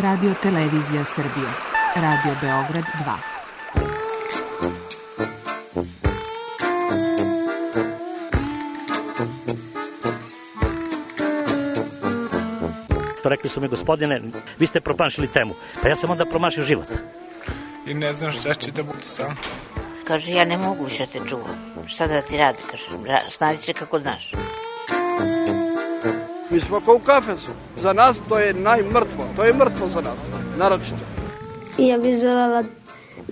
Radio Televizija Srbije. Radio Beograd 2. Rekli su mi, gospodine, vi ste promašili temu. Pa ja sam onda promašio život. I ne znam šta će da bude sam. Kaže, ja ne mogu više te čuvam. Šta da ti radi? Kaže, snađi se kako znaš. Mi smo kao u kafesu. Za nas to je najmrtvo. To je mrtvo za nas. Naročito. Ja bih želela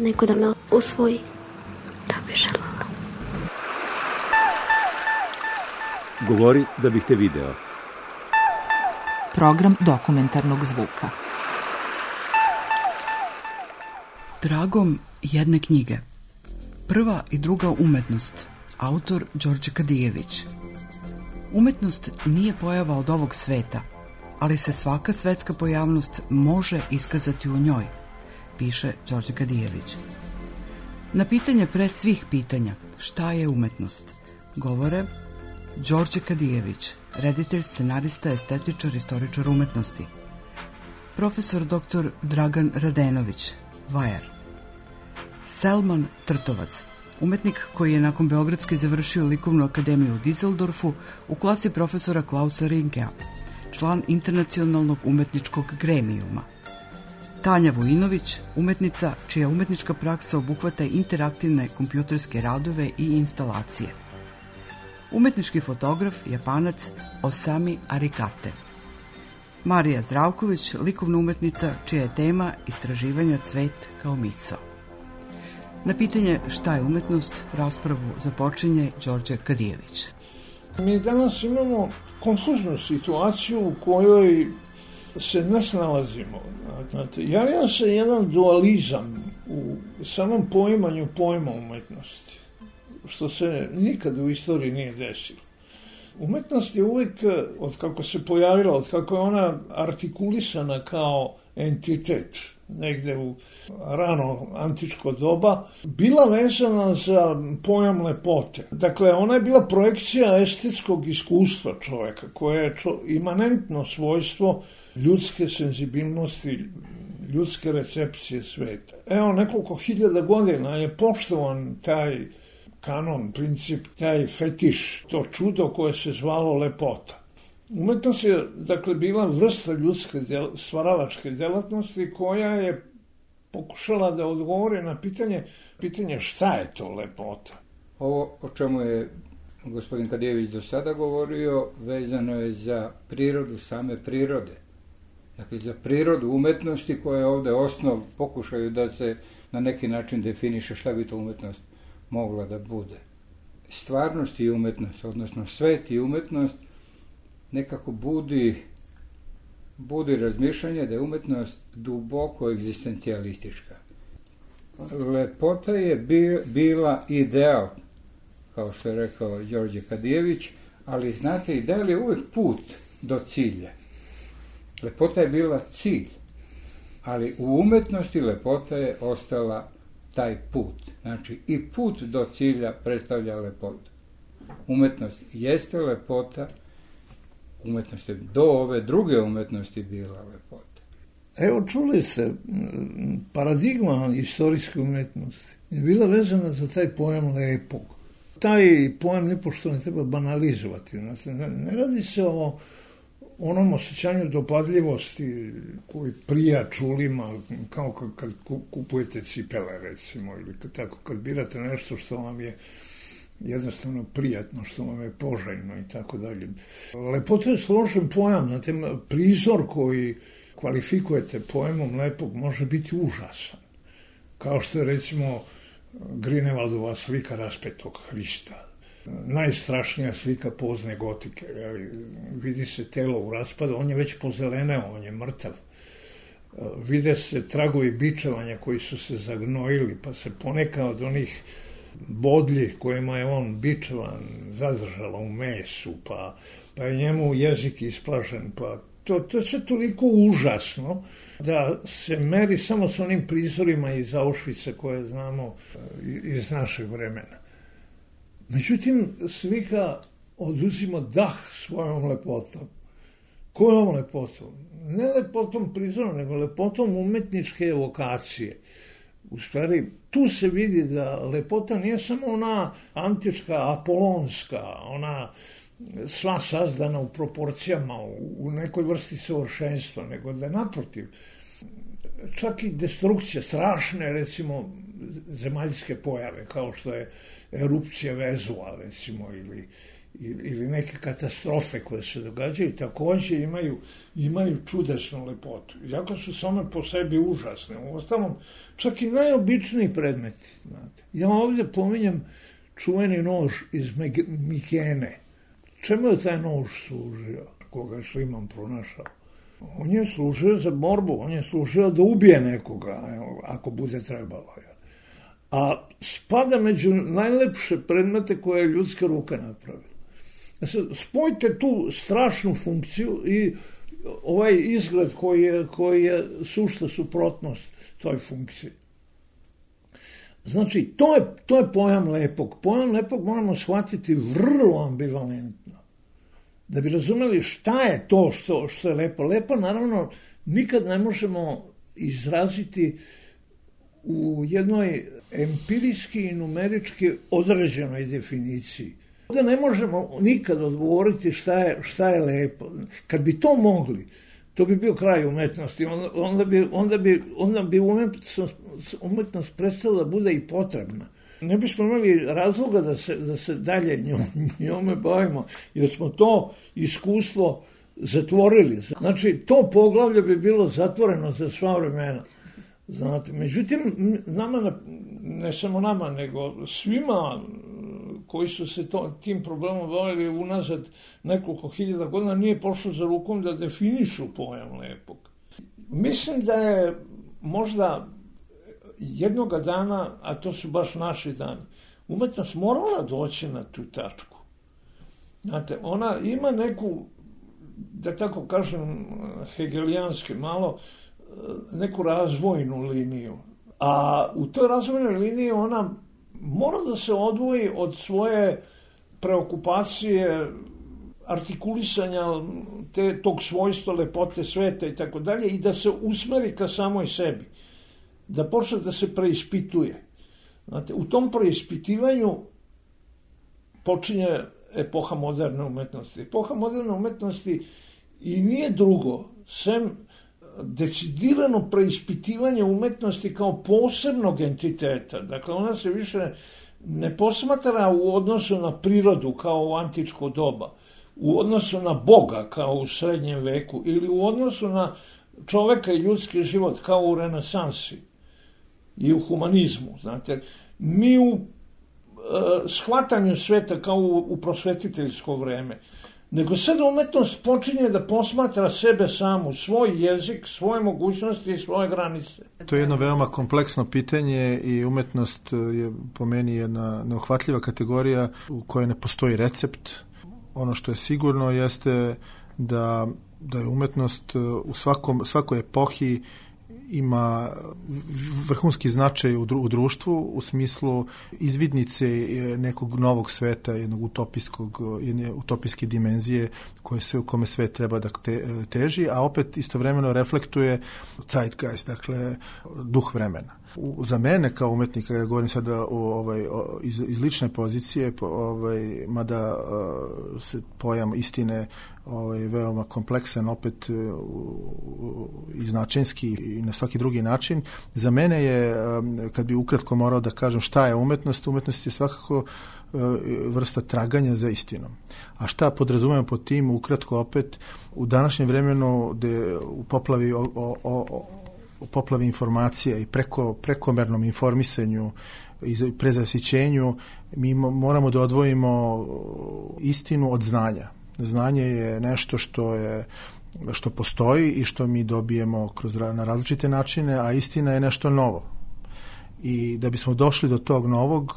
neko da me usvoji. Da bih želela. Govori da bih te video. Program dokumentarnog zvuka. Tragom jedne knjige. Prva i druga umetnost. Autor Đorđe Kadijević. Umetnost nije pojava od ovog sveta, ali se svaka svetska pojavnost može iskazati u njoj, piše Đorđe Kadijević. Na pitanje pre svih pitanja, šta je umetnost, govore Đorđe Kadijević, reditelj, scenarista, estetičar, istoričar umetnosti. Profesor dr. Dragan Radenović, vajar. Selman Trtovac, umetnik koji je nakon Beogradske završio likovnu akademiju u Dizeldorfu u klasi profesora Klausa Rinkea, član internacionalnog umetničkog gremijuma. Tanja Vujinović, umetnica čija umetnička praksa obuhvata interaktivne kompjuterske radove i instalacije. Umetnički fotograf, Japanac Osami Arikate. Marija Zdravković, likovna umetnica čija je tema istraživanja cvet kao misao. Na pitanje šta je umetnost, raspravu započinje Đorđe Kadijević. Mi danas imamo konfuznu situaciju u kojoj se ne snalazimo. Javio se jedan dualizam u samom poimanju pojma umetnosti, što se nikad u istoriji nije desilo. Umetnost je uvijek, od kako se pojavila, od kako je ona artikulisana kao entitet, negde u rano antičko doba, bila vezana za pojam lepote. Dakle, ona je bila projekcija estetskog iskustva čoveka, koje je imanentno svojstvo ljudske senzibilnosti, ljudske recepcije sveta. Evo, nekoliko hiljada godina je poštovan taj kanon, princip, taj fetiš, to čudo koje se zvalo lepota. Umetnost je, dakle, bila vrsta ljudske stvaralačke delatnosti koja je pokušala da odgovori na pitanje šta je to lepota. Ovo o čemu je gospodin Kadijević do sada govorio vezano je za prirodu same prirode. Dakle, za prirodu umetnosti koja je ovde osnov, pokušaju da se na neki način definiše šta bi to umetnost mogla da bude. Stvarnost i umetnost, odnosno svet i umetnost, nekako budi razmišljanje da je umetnost duboko egzistencijalistička. Lepota je bila ideal, kao što je rekao Đorđe Kadijević, ali znate, ideal je uvek put do cilja. Lepota je bila cilj, ali u umetnosti lepota je ostala taj put. Znači, i put do cilja predstavlja lepotu. Umetnost jeste lepota, umetnost je do ove druge umetnosti bila lepota. Evo, čuli ste, paradigma istorijske umetnosti je bila vezana za taj pojam lepog. Taj pojam nipošto ne treba banalizovati. Ne radi se o onom osjećanju dopadljivosti koji prija čulima, kao kad kupujete cipele, recimo, ili kad birate nešto što vam je jednostavno prijatno, što vam je poželjno i tako dalje. Lepota je složen pojam, znate, prizor koji kvalifikujete pojmom lepog može biti užasan. Kao što je, recimo, Grinevaldova slika Raspetog Hrista. Najstrašnija slika pozne gotike. Vidi se telo u raspadu, on je već pozeleneo, on je mrtav. Vide se tragovi bičevanja koji su se zagnojili, pa se poneka od onih bodlji kojima je on bičevan zadržala u mesu, pa je njemu jezik isplažen, pa to je sve toliko užasno da se meri samo s onim prizorima iz Auschwitza koje znamo iz našeg vremena. Međutim, slika oduzima dah svojom lepotom. Kojom lepotom? Ne lepotom prizora, nego lepotom umetničke evokacije. U stvari, tu se vidi da lepota nije samo ona antička, apolonska, ona sva sazdana u proporcijama, u nekoj vrsti savršenstva, nego da naprotiv, čak i destrukcija, strašne, recimo, zemaljske pojave, kao što je erupcija Vezua, recimo, ili neke katastrofe koje se događaju, takođe imaju čudesnu lepotu. Iako su same po sebi užasne. U ostalom, čak i najobičniji predmeti. Znate. Ja ovdje pominjem čuveni nož iz Mikene. Čemu je taj nož služio, koga je Šliman pronašao? On je služio za borbu, on je služio da ubije nekoga, ako bude trebalo. A spada među najlepše predmete koje je ljudska ruka napravila. Spojite tu strašnu funkciju i ovaj izgled koji je sušta suprotnost toj funkciji. Znači, to je pojam lepog. Pojam lepog moramo shvatiti vrlo ambivalentno. Da bi razumeli šta je to što je lepo. Lepo, naravno, nikad ne možemo izraziti u jednoj empirijski i numerički određenoj definiciji. Da ne možemo nikad odgovoriti šta je lepo. Kad bi to mogli, to bi bio kraj umetnosti. Onda bi umetnost prestala da bude i potrebna. Ne bismo imali razloga da se dalje njome bavimo, jer smo to iskustvo zatvorili. Znači, to poglavlje bi bilo zatvoreno za sva vremena. Znate, međutim, nama, ne samo nama, nego svima koji su se tim problemom bavili unazad nekoliko hiljada godina, nije pošlo za rukom da definišu pojam lepog. Mislim da je možda jednoga dana, a to su baš naši dani, umetnost morala doći na tu tačku. Znate, ona ima neku, da tako kažem, hegelijanski malo, neku razvojnu liniju. A u toj razvojnoj liniji ona mora da se odvoji od svoje preokupacije, artikulisanja tog svojstva, lepote sveta i tako dalje, i da se usmeri ka samoj sebi. Da počne da se preispituje. Znate, u tom preispitivanju počinje epoha moderne umetnosti. Epoha moderne umetnosti i nije drugo, sem decidirano preispitivanje umetnosti kao posebnog entiteta. Dakle, ona se više ne posmatra u odnosu na prirodu kao u antičko doba, u odnosu na Boga kao u srednjem veku ili u odnosu na čoveka i ljudski život kao u renesansi i u humanizmu. Znate, ni u shvatanju sveta kao u prosvetiteljsko vreme, nego sada umetnost počinje da posmatra sebe samu, svoj jezik, svoje mogućnosti i svoje granice. To je jedno veoma kompleksno pitanje i umetnost je po meni jedna neuhvatljiva kategorija u kojoj ne postoji recept. Ono što je sigurno jeste da je umetnost u svakoj epohi ima vrhunski značaj u društvu u smislu izvidnice nekog novog sveta, jedne utopijske dimenzije kome svet treba da teži, a opet istovremeno reflektuje zeitgeist, dakle duh vremena. Za mene kao umetnika, ja govorim sada iz lične pozicije, mada se pojam istine veoma kompleksan, opet i značenski i na svaki drugi način. Za mene je, kad bi ukratko morao da kažem šta je umetnost, umetnost je svakako vrsta traganja za istinom. A šta podrazumemo pod tim, ukratko opet, u današnjem vremenu gde u poplavi informacija i prekomernom informisanju i prezasićenju, mi moramo da odvojimo istinu od znanja. Znanje je nešto što postoji i što mi dobijemo na različite načine, a istina je nešto novo. I da bismo došli do tog novog,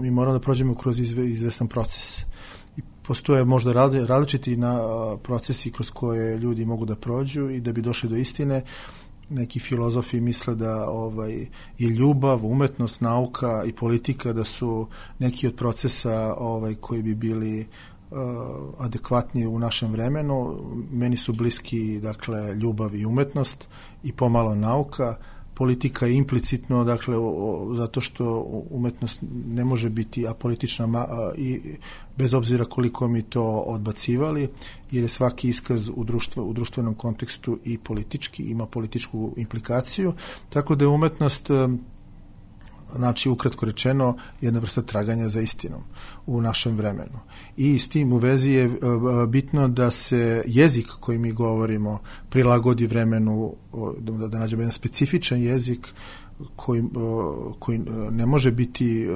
mi moramo da prođemo kroz izvestan proces. I postoje možda različiti procesi kroz koje ljudi mogu da prođu i da bi došli do istine. Neki filozofi misle da je ljubav, umetnost, nauka i politika da su neki od procesa koji bi bili adekvatniji u našem vremenu. Meni su bliski, dakle, ljubav i umetnost i pomalo nauka. Politika je implicitno, dakle, zato što umetnost ne može biti apolitična i bez obzira koliko mi to odbacivali, jer je svaki iskaz u društvenom kontekstu i politički, ima političku implikaciju, tako da je umetnost, znači, ukratko rečeno, jedna vrsta traganja za istinom u našem vremenu. I s tim u vezi je bitno da se jezik koji mi govorimo prilagodi vremenu, da nađemo jedan specifičan jezik koji ne može biti,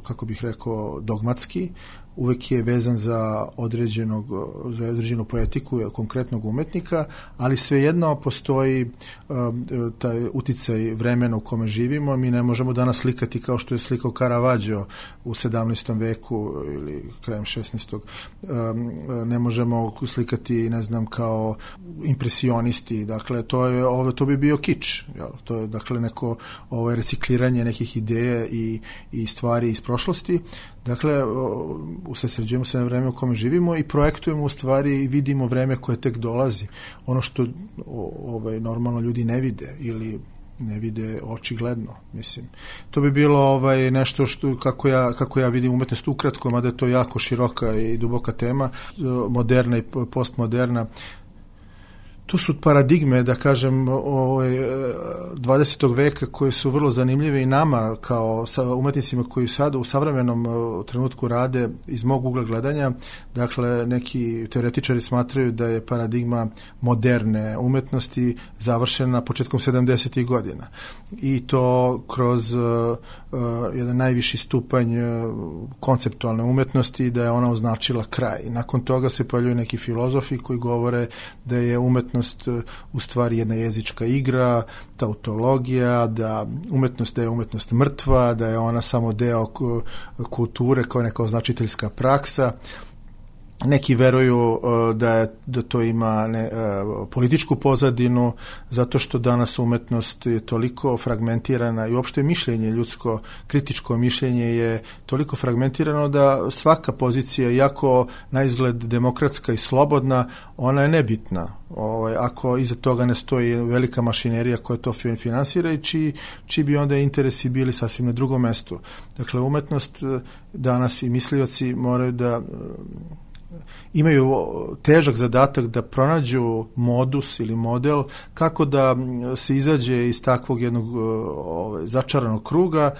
kako bih rekao, dogmatski, uvek je vezan za određenu poetiku konkretnog umetnika, ali svejedno postoji taj uticaj vremena u kome živimo. Mi ne možemo danas slikati kao što je slikao Caravaggio u 17. veku ili krajem 16. Ne možemo slikati, ne znam, kao impresionisti. Dakle, to bi bio kič. To je, dakle, neko recikliranje nekih ideja i stvari iz prošlosti. Dakle, usredsređujemo se na vreme u kome živimo i projektujemo u stvari i vidimo vreme koje tek dolazi. Ono što normalno ljudi ne vide ili ne vide očigledno, mislim. To bi bilo nešto što, kako ja vidim umetnost ukratko, mada je to jako široka i duboka tema, moderna i postmoderna. Tu su paradigme, da kažem, 20. veka koje su vrlo zanimljive i nama kao umetnicima koji sada u savremenom trenutku rade iz mog ugla gledanja. Dakle, neki teoretičari smatraju da je paradigma moderne umetnosti završena početkom 70. godina. I to kroz jedan najviši stupanj konceptualne umetnosti, da je ona označila kraj. Nakon toga se pojavljuju neki filozofi koji govore da je umetnost u stvari jedna jezička igra, tautologija, da je umetnost mrtva, da je ona samo deo kulture kao neka označiteljska praksa. Neki veruju da to ima političku pozadinu, zato što danas umetnost je toliko fragmentirana i uopšte mišljenje, ljudsko kritičko mišljenje je toliko fragmentirano da svaka pozicija, iako na izgled demokratska i slobodna, ona je nebitna. Ako iza toga ne stoji velika mašinerija koja to finansira i čiji bi onda interesi bili sasvim na drugom mestu. Dakle, umetnost danas i mislioci moraju da imaju težak zadatak da pronađu modus ili model kako da se izađe iz takvog jednog začaranog kruga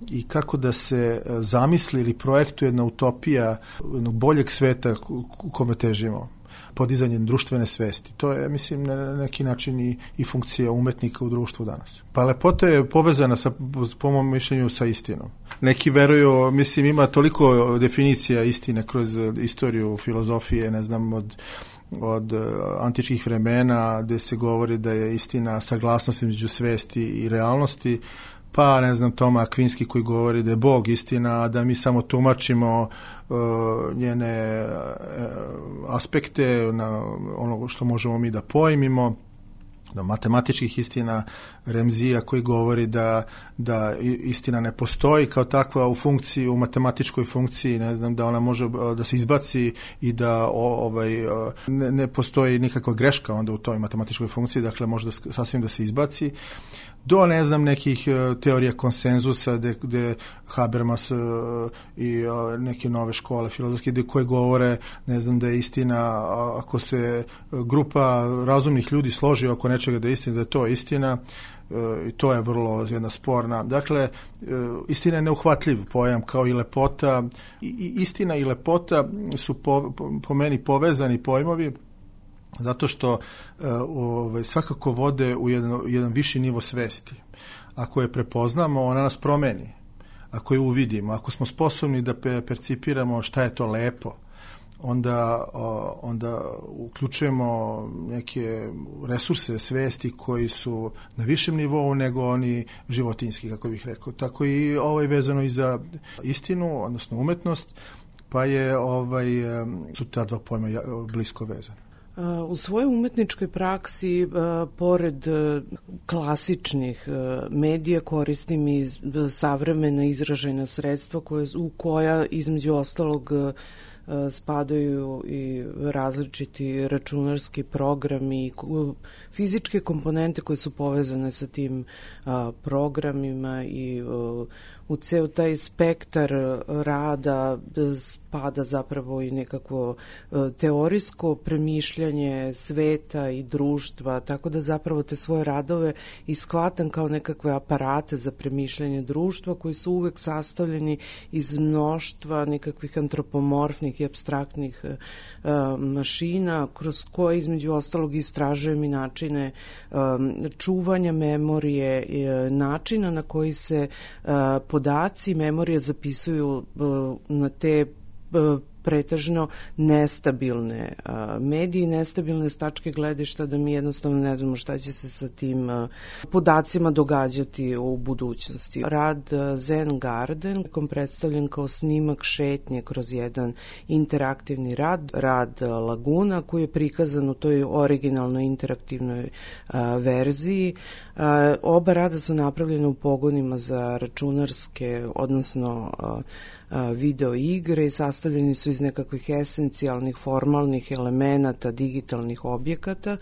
i kako da se zamisli ili projektuje jedna utopija jednog boljeg sveta u kome težimo, podizanjem društvene svesti. To je, mislim, na neki način i funkcija umetnika u društvu danas. Pa lepota je povezana po mom mišljenju sa istinom. Neki veruju, mislim, ima toliko definicija istine kroz istoriju filozofije, ne znam, od antičkih vremena, gde se govori da je istina saglasnost između svesti i realnosti, pa, ne znam, Toma Akvinski koji govori da je Bog istina, a da mi samo tumačimo njene aspekte na ono što možemo mi da pojmimo, do matematičkih istina, Remzija koji govori da istina ne postoji kao takva u matematičkoj funkciji, ne znam, da ona može da se izbaci i da ne postoji nikakva greška onda u toj matematičkoj funkciji, dakle može sasvim da se izbaci, do, ne znam, nekih teorija konsenzusa gde Habermas i neke nove škole filozofske koje govore, ne znam, da je istina, ako se grupa razumnih ljudi složi oko nečega da je istina, da je to istina, i to je vrlo jedna sporna. Dakle, istina je neuhvatljiv pojam kao i lepota. I istina i lepota su po meni povezani pojmovi, zato što svakako vode u jedan viši nivo svesti. Ako je prepoznamo, ona nas promeni. Ako je uvidimo, ako smo sposobni da percipiramo šta je to lepo, onda uključujemo neke resurse svesti koji su na višem nivou nego oni životinjski, kako bih rekao. Tako i vezano i za istinu, odnosno umetnost, pa su ta dva pojma blisko vezane. U svojoj umetničkoj praksi, pored klasičnih medija, koristim i savremena izražajna sredstva koja između ostalog spadaju i različiti računarski programi i fizičke komponente koje su povezane sa tim programima i u ceo taj spektar rada spada zapravo i nekakvo teorijsko premišljanje sveta i društva, tako da zapravo te svoje radove ishvatam kao nekakve aparate za premišljanje društva koji su uvek sastavljeni iz mnoštva nekakvih antropomorfnih i apstraktnih mašina kroz koje između ostalog istražujem i načine čuvanja memorije, načina na koji se podaci memorije zapisuju na te pretežno nestabilne mediji, nestabilne stačke gledišta, da mi jednostavno ne znamo šta će se sa tim podacima događati u budućnosti. Rad Zen Garden predstavljen kao snimak šetnje kroz jedan interaktivni rad Laguna, koji je prikazan u toj originalnoj interaktivnoj verziji. Oba rada su napravljene u pogonima za računarske, odnosno video igre i sastavljeni su iz nekakvih esencijalnih formalnih elemenata digitalnih objekata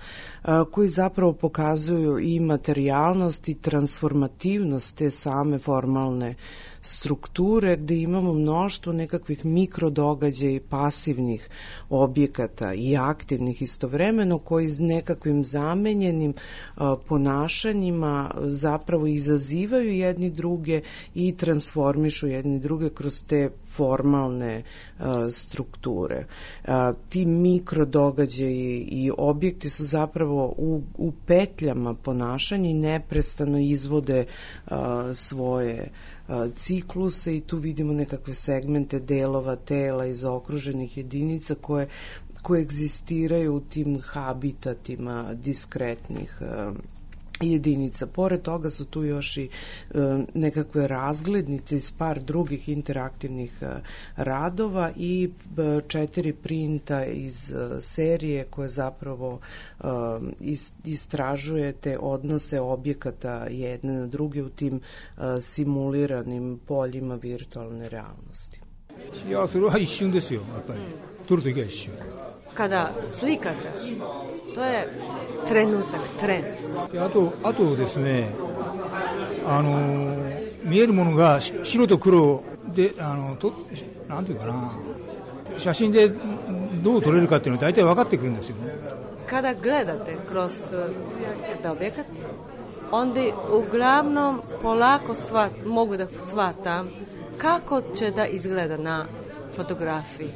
koji zapravo pokazuju i materijalnost i transformativnost te same formalne strukture, gde imamo mnoštvo nekakvih mikrodogađaja i pasivnih objekata i aktivnih istovremeno, koji s nekakvim zamenjenim ponašanjima zapravo izazivaju jedni druge i transformišu jedni druge kroz te formalne strukture. Ti mikrodogađaji i objekti su zapravo u petljama ponašanja i neprestano izvode svoje cikluse i tu vidimo nekakve segmente delova tela i zaokruženih jedinica koje egzistiraju u tim habitatima diskretnih jedinica. Pored toga su tu još i nekakve razglednice iz par drugih interaktivnih radova i 4 printa iz serije koje zapravo istražuje te odnose objekata jedne na druge u tim simuliranim poljima virtualne realnosti. Kada slikate, to je trenutak, tren. あとですね、見えるものが白と黒で、なんていうかな、写真でどう撮れるかっていうのは大体分かってくるんですよね。Kada gledate kroz objekat, onda uglavnom polako mogu da shvatam kako će da izgleda na fotografiji.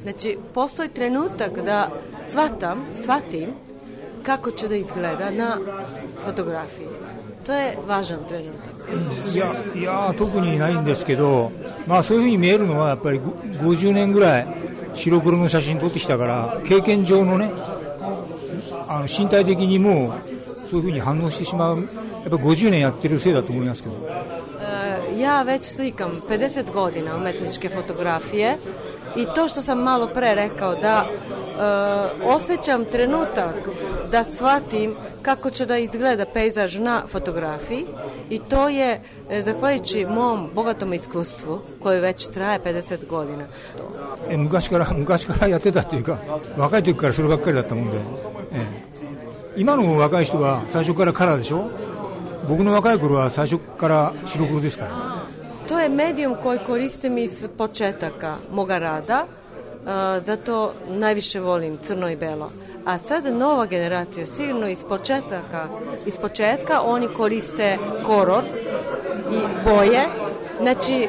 Znači, postoji trenutak da shvatim kako će da izgleda na fotografiji. To je važan trenutak. いや特にないんですけど、まあそういうふうに見えるのはやっぱり50年ぐらい白黒の写真撮ってきたから経験上のね、身体的にもそういうふうに反応してしまう。やっぱり50年やってるせいだと思いますけど。Ja već slikam 50 godina umetničke fotografije i to što sam malo pre rekao da osjećam trenutak da shvatim kako će da izgleda pejzaž na fotografiji i to je zahvaljujući mom bogatom iskustvu koje već traje 50 godina. 昔からやってたっていうか若い時からそればっかりだったもんで、今の若い人は最初からカラーでしょ。僕の若い頃は最初から白黒ですから。To je medijum koji koristim iz početaka moga rada, zato najviše volim crno i belo. A sad nova generacija sigurno iz početka oni koriste kolor i boje. Znači,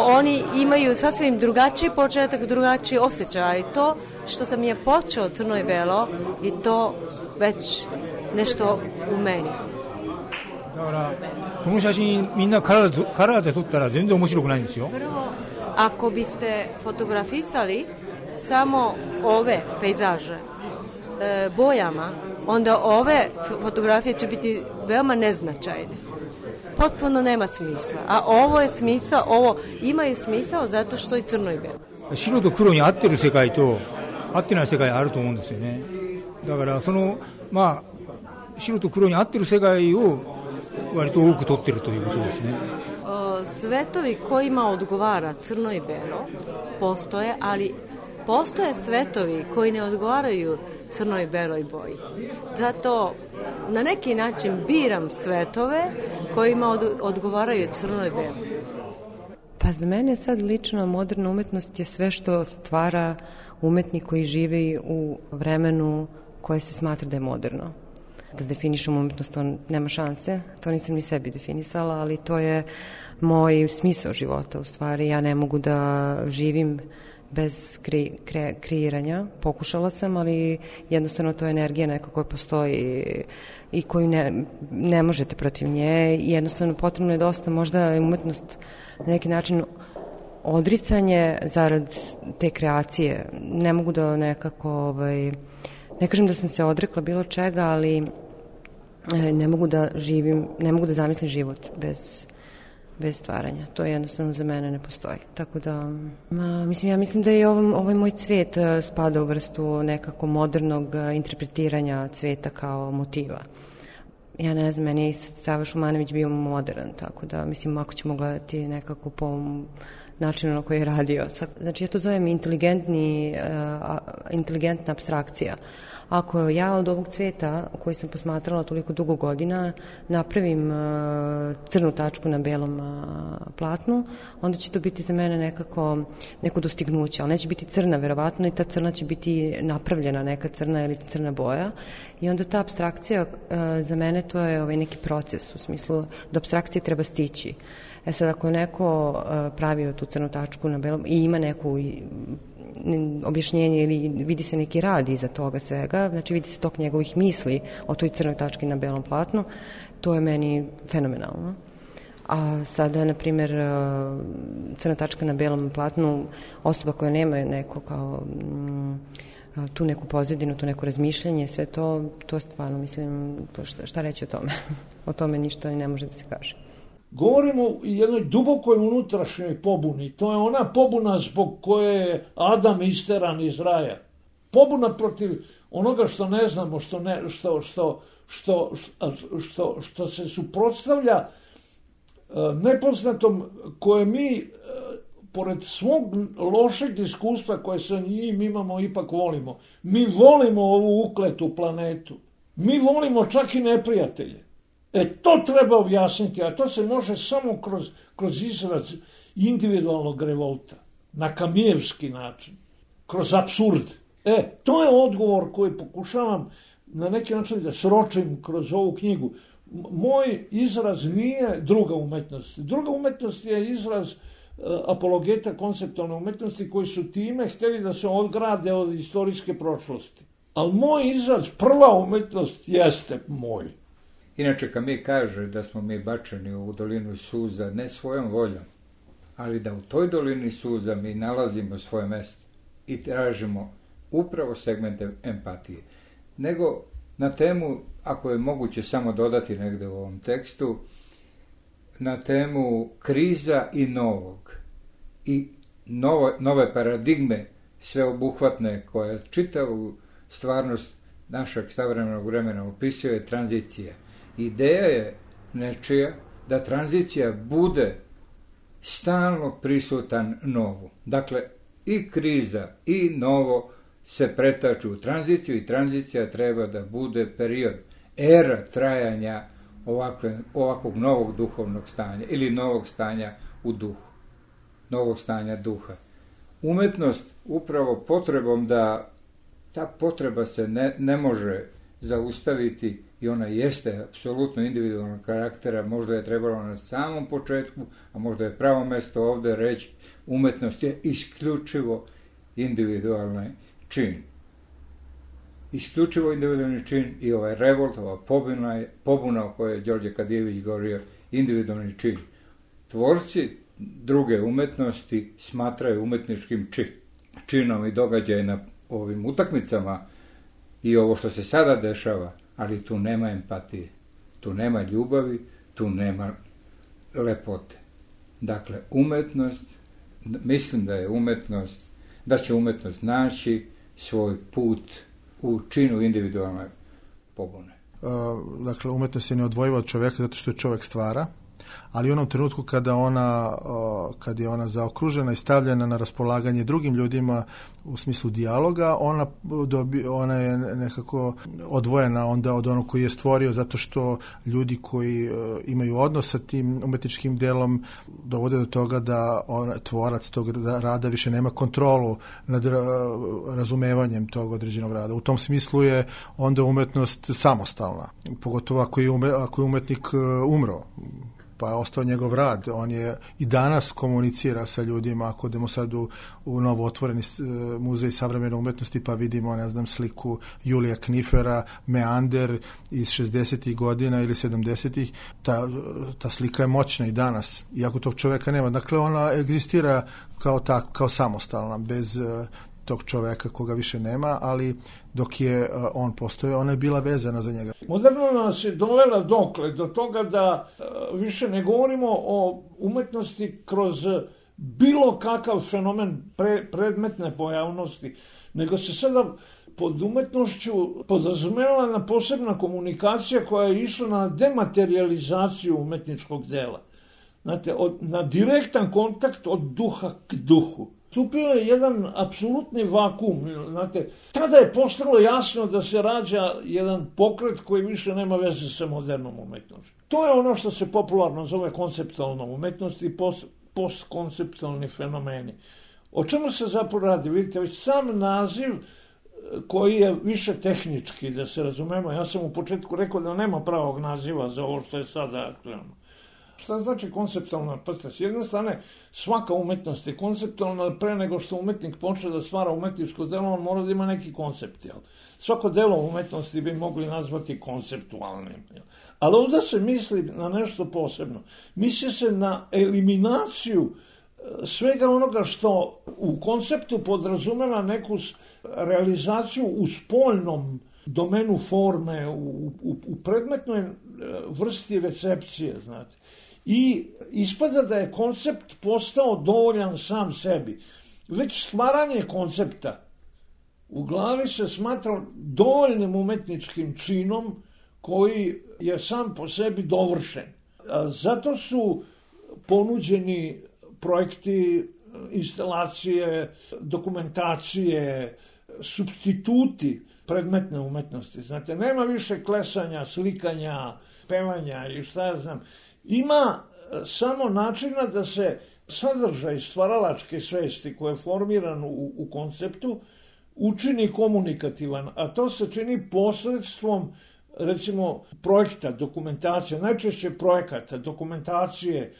oni imaju sasvim drugačiji početak, drugačiji osjećaj. I to što sam je počeo crno i belo i to već nešto u meni. だからこの写真みんなカラーで撮ったら全然面白くないんですよ。 Ako biste fotografisali samo ove pejzaže bojama, onda ove fotografije će biti veoma neznačajne. Potpuno nema smisla. A ovo je smisao, ovo ima i smisao zato što je crno i belo. 白と黒に合ってる世界と合ってない世界あると思うんですよね。だからまあ白と黒に合ってる世界を割と多く撮ってるということですね。 Svetovi kojima odgovara crno i belo postoje, ali postoje svetovi koji ne odgovaraju crnoj beloj boji. Zato na neki način biram svetove kojima odgovaraju crnoj beloj. Pa za mene sad lično moderna umetnost je sve što stvara umetnik koji živi u vremenu koje se smatra da je moderno. Da definišem umetnost, to nema šanse, to nisam ni sebi definisala, ali to je moj smisao života u stvari. Ja ne mogu da živim bez kreiranja. Pokušala sam, ali jednostavno to je energija neka koja postoji i koju ne možete protiv nje. Jednostavno potrebno je dosta, možda je umetnost na neki način odricanje zarad te kreacije. Ne mogu da nekako, ne kažem da sam se odrekla bilo čega, ali ne mogu da zamislim život bez stvaranja. To jednostavno za mene ne postoji. Tako da, ja mislim da je ovaj moj cvet spada u vrstu nekako modernog interpretiranja cveta kao motiva. Ja ne znam, meni je Sava Šumanović bio modern, tako da, mislim, ako ćemo gledati nekako po načinu na koji je radio. Znači, ja to zovem inteligentna apstrakcija. Ako ja od ovog cveta koji sam posmatrala toliko dugo godina napravim crnu tačku na belom platnu, onda će to biti za mene neko dostignuće, ali neće biti crna verovatno i ta crna će biti napravljena neka crna ili crna boja i onda ta apstrakcija za mene to je neki proces u smislu do apstrakcije treba stići. Sad ako je neko pravio tu crnu tačku na belom i ima neku objašnjenje ili vidi se neki rad iza toga svega, znači vidi se tok njegovih misli o toj crnoj tački na belom platnu, to je meni fenomenalno. A sada, na primjer, crna tačka na belom platnu, osoba koja nema neko kao tu neku pozadinu, tu neko razmišljanje, sve to stvarno, mislim, šta reći o tome? O tome ništa ne može da se kaže. Govorimo o jednoj dubokoj unutrašnjoj pobuni. To je ona pobuna zbog koje je Adam isteran iz raja. Pobuna protiv onoga što ne znamo, što se suprotstavlja nepoznatom koje mi, pored svog lošeg iskustva koje sa njim imamo, ipak volimo. Mi volimo ovu ukletu planetu. Mi volimo čak i neprijatelje. To treba objasniti, a to se može samo kroz izraz individualnog revolta, na kamijevski način, kroz apsurd. To je odgovor koji pokušavam na neki način da sročim kroz ovu knjigu. Moj izraz nije druga umetnost. Druga umetnost je izraz apologeta konceptualne umetnosti koji su time htjeli da se odgrade od istorijske prošlosti. Ali moj izraz, prva umetnost, jeste moj. Inače, Camus kaže da smo mi bačeni u dolinu suza ne svojom voljom, ali da u toj dolini suza mi nalazimo svoje mjesto i tražimo upravo segmente empatije. Nego na temu, ako je moguće samo dodati negdje u ovom tekstu, na temu kriza i novog i nove paradigme sveobuhvatne koja čitavu stvarnost našeg savremenog vremena opisuje tranzicija. Ideja je nečija da tranzicija bude stalno prisutan novu. Dakle, i kriza i novo se pretaču u tranziciju i tranzicija treba da bude period, era trajanja ovakvog novog duhovnog stanja ili novog stanja u duhu, novog stanja duha. Umetnost upravo potrebom da ta potreba se ne može zaustaviti i ona jeste apsolutno individualnog karaktera, možda je trebalo na samom početku, a možda je pravo mjesto ovdje reći, umetnost je isključivo individualni čin. Isključivo individualni čin i ovaj revolt, ova pobuna o kojoj je Đorđe Kadijević govorio, individualni čin. Tvorci druge umetnosti smatraju umetničkim činom i događaj na ovim utakmicama i ovo što se sada dešava, ali tu nema empatije, tu nema ljubavi, tu nema lepote. Dakle, umetnost, mislim da će umetnost naći svoj put u činu individualne pobune. Dakle, umetnost je neodvojiva od čovjeka zato što je čovjek stvara ali u onom trenutku kad je ona zaokružena i stavljena na raspolaganje drugim ljudima u smislu dijaloga, ona je nekako odvojena onda od onog koji je stvorio, zato što ljudi koji imaju odnos sa tim umetničkim delom dovode do toga da tvorac tog rada više nema kontrolu nad razumevanjem tog određenog rada. U tom smislu je onda umetnost samostalna, pogotovo ako je umetnik umro, pa je ostao njegov rad. On je i danas komunicira sa ljudima. Ako idemo sad u novo otvoreni muzej savremene umetnosti, pa vidimo, ne znam, sliku Julija Knifera, Meander iz 60. godina ili 70. Ta slika je moćna i danas, iako tog čoveka nema. Dakle, ona egzistira kao samostalna, bez tog čoveka koga više nema, ali dok je on postoje, ona je bila vezana za njega. Moderno nas je dovela dokle do toga da više ne govorimo o umetnosti kroz bilo kakav fenomen predmetne pojavnosti, nego se sada pod umetnošću podrazumela na posebna komunikacija koja je išla na dematerializaciju umetničkog dela. Znate, na direktan kontakt od duha k duhu. Stupio je jedan apsolutni vakum. Znate, tada je postalo jasno da se rađa jedan pokret koji više nema veze sa modernom umetnošću. To je ono što se popularno zove konceptualna umetnost i postkonceptualni fenomeni. O čemu se zapravo radi? Vidite, već sam naziv koji je više tehnički, da se razumemo. Ja sam u početku rekao da nema pravog naziva za ovo što je sada aktualno. Šta znači konceptualna? S jedne strane, svaka umetnost je konceptualna, pre nego što umetnik počne da stvara umetničko delo, on mora da ima neki koncept. Jel? Svako delo umetnosti bi mogli nazvati konceptualnim. Jel? Ali ovdje se misli na nešto posebno. Misli se na eliminaciju svega onoga što u konceptu podrazumeva neku realizaciju u spoljnom domenu forme, u predmetnoj vrsti recepcije, znate. I ispada da je koncept postao dovoljan sam sebi. Već stvaranje koncepta u glavi se smatra dovoljnim umetničkim činom koji je sam po sebi dovršen. Zato su ponuđeni projekti, instalacije, dokumentacije, supstituti predmetne umetnosti. Znate, nema više klesanja, slikanja, pevanja i šta ja znam. Ima samo načina da se sadržaj stvaralačke svesti koje je formiran u konceptu učini komunikativan, a to se čini posredstvom, recimo, projekta, dokumentacije, najčešće projekata, dokumentacije.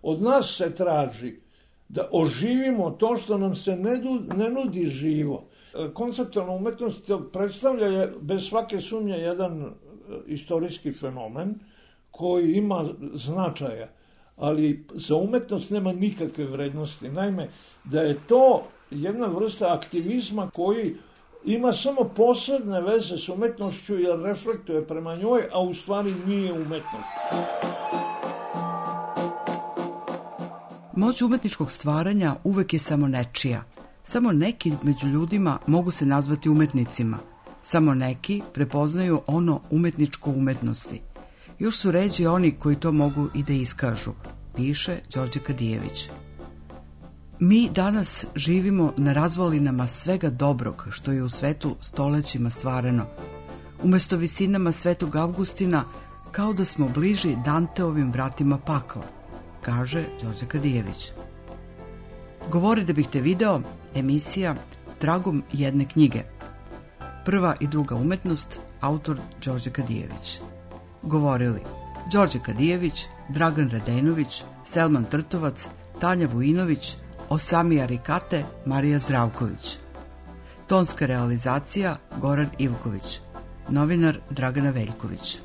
Od nas se traži da oživimo to što nam se ne nudi živo. Konceptualna umetnost predstavlja bez svake sumnje jedan istorijski fenomen koji ima značaja, ali za umetnost nema nikakve vrednosti. Naime, da je to jedna vrsta aktivizma koji ima samo posredne veze s umetnošću jer reflektuje prema njoj, a u stvari nije umetnost. Moć umetničkog stvaranja uvek je samo nečija. Samo neki među ljudima mogu se nazvati umetnicima. Samo neki prepoznaju ono umetničko umetnosti. Još su ređi oni koji to mogu i da iskažu, piše Đorđe Kadijević. Mi danas živimo na razvalinama svega dobrog što je u svetu stolećima stvareno. Umesto visinama Svetog Avgustina, kao da smo bliži Danteovim vratima pakla, kaže Đorđe Kadijević. Govori da bih te video, emisija Tragom jedne knjige. Prva i druga umetnost, autor Đorđe Kadijević. Govorili Đorđe Kadijević, Dragan Radenović, Selman Trtovac, Tanja Vujinović, Osamija Rikate, Marija Zdravković. Tonska realizacija Goran Ivković. Novinar Dragana Veljković.